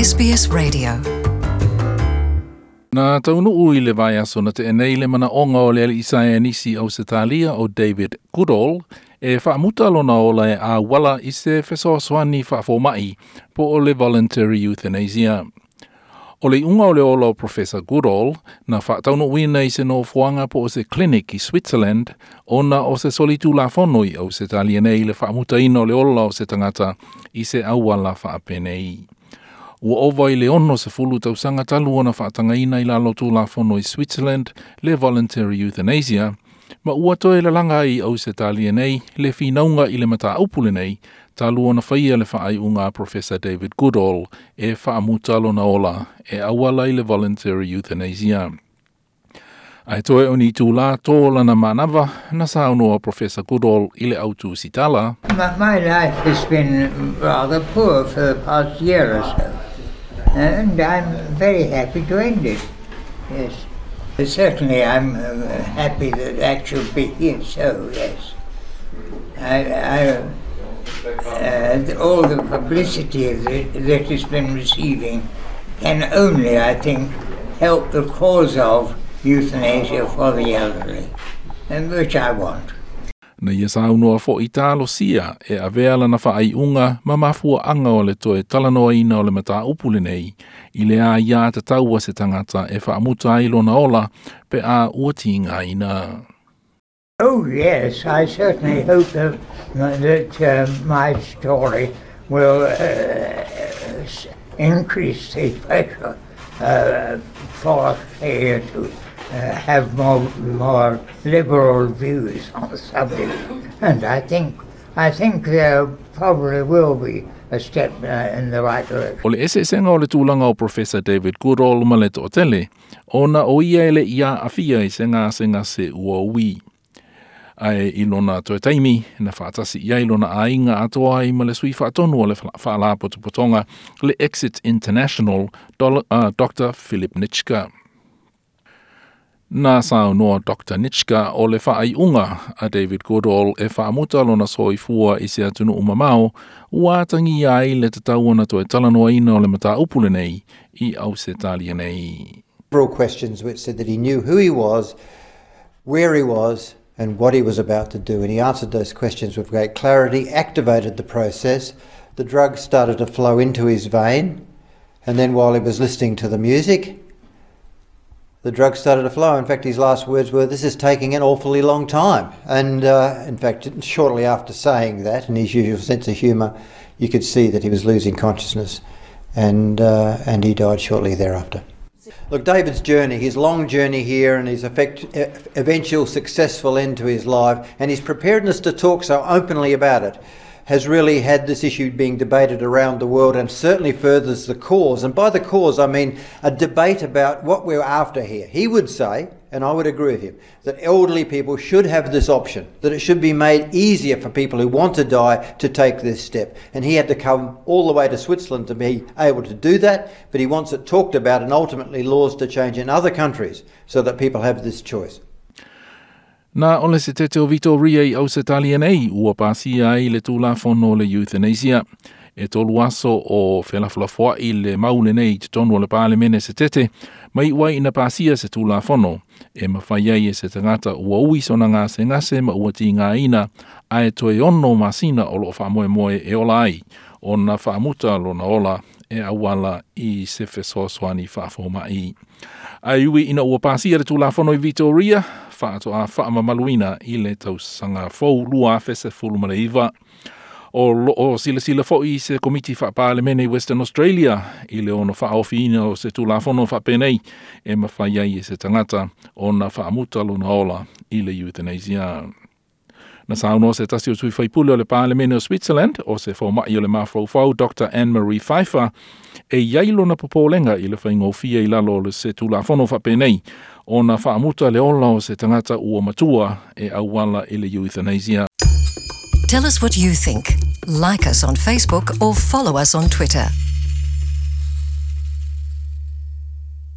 SBS Radio. Na taunuu i le vaiaso na tea nei le manaʻoga o le alii saienisi Ausetalia o David Goodall e faamuta lona ola e auala i se fesoasoani faafomaʻi po o le voluntary euthanasia. O le iuga o le ola o Professor Goodall na faataunuuina i se nofoaga po o se clinic i Switzerland ona o se solitulafono i Ausetalia nei le faamutaina o le ola o se tagata i se auala faapenei. Ua ova i le 60 tausaga talu ona faatagaina i lalo tulafono i Switzerland le voluntary euthanasia, ma ua toe lalaga ai i Ausetalia nei le finauga i le mataupu lenei talu ona faia le faaiuga a Professor David Goodall e faamuta lona ola e auala i le voluntary euthanasia. Ae toe o ni itulā to lana manava na saunoa Professor Goodall i le autusitala. My life has been rather poor for the past year or so, and I'm very happy to end it. Yes. Certainly I'm happy that that should be here, so yes. All the publicity that it's been receiving can only, I think, help the cause of euthanasia for the elderly, and which I want. Na ia saunoa foʻi talosia e avea lana faaiuga ma mafuaaga o le toe talanoaina o le mataupu lenei i le aiā tatau a se tagata e faamuta ai lona ola pe a ua tigaina. Oh yes, I certainly hope that my story will increase the pressure for Australia to have more liberal views on the subject, and I think there probably will be a step in the right direction. O le eseesega o le tulaga o Professor David Goodall ma le toatele, ona o ia e leʻi aafia i se gasegase ua ui. Ae i lona toe taimi, na faatasi i ai lona aiga atoa ai ma le sui faatonu o le faalapotopotoga le Exit International, Dr. Philip Nitschke. Na saunoa Dr. Nitschke o le faaiuga a David Goodall e faamuta lona soifua i se atunuu mamao, ua atagia ai le tatau ona toe talanoaina o le mataupu lenei i Ausetalia nei. Several questions which said that he knew who he was, where he was, and what he was about to do. And he answered those questions with great clarity, activated the process. The drugs started to flow into his vein. And then while he was listening to the music, the drugs started to flow. In fact, his last words were, "This is taking an awfully long time." And in fact, shortly after saying that, in his usual sense of humour, you could see that he was losing consciousness, and he died shortly thereafter. Look, David's journey, his long journey here and his eventual successful end to his life and his preparedness to talk so openly about it has really had this issue being debated around the world and certainly furthers the cause. And by the cause, I mean a debate about what we're after here. He would say, and I would agree with him, that elderly people should have this option, that it should be made easier for people who want to die to take this step. And he had to come all the way to Switzerland to be able to do that, but he wants it talked about and ultimately laws to change in other countries so that people have this choice. Na o le setete o Victoria i Ausetalia nei ua pasia ai le tulafono o le euthanasia. E 3 aso o felafolafoaʻi le mau lenei i totonu o le palemene setete, mai ua ina pasia se tulafono e mafai ai e se tagata ua ui sona gasegase ma ua tigaina ae toe 6 masina o loo faamoemoe e ola ai ona faamuta lona ola e auala i se fesoasoani faafomaʻi. Ae ui ina ua pasia le tulafono i Victoria, faatoa faamamaluina i le tausaga fou 2019. O loo silasila foʻi se komiti faapalemene i Western Australia i le ono faaofiina o se tulafono faapenei e mafai ai e se tagata ona faamuta lona ola i le euthanasia. Na saunoa se tasi o sui faipule o le palemene o Switzerland o se fomaʻi o le mafaufau Dr. Anne-Marie Pfeiffer e iai lona popolega i le faigofie i lalo o le se tulafono faapenei ona faamuta le ola o se tagata ua matua e auala i le euthanasia. Tell us what you think. Like us on Facebook or follow us on Twitter.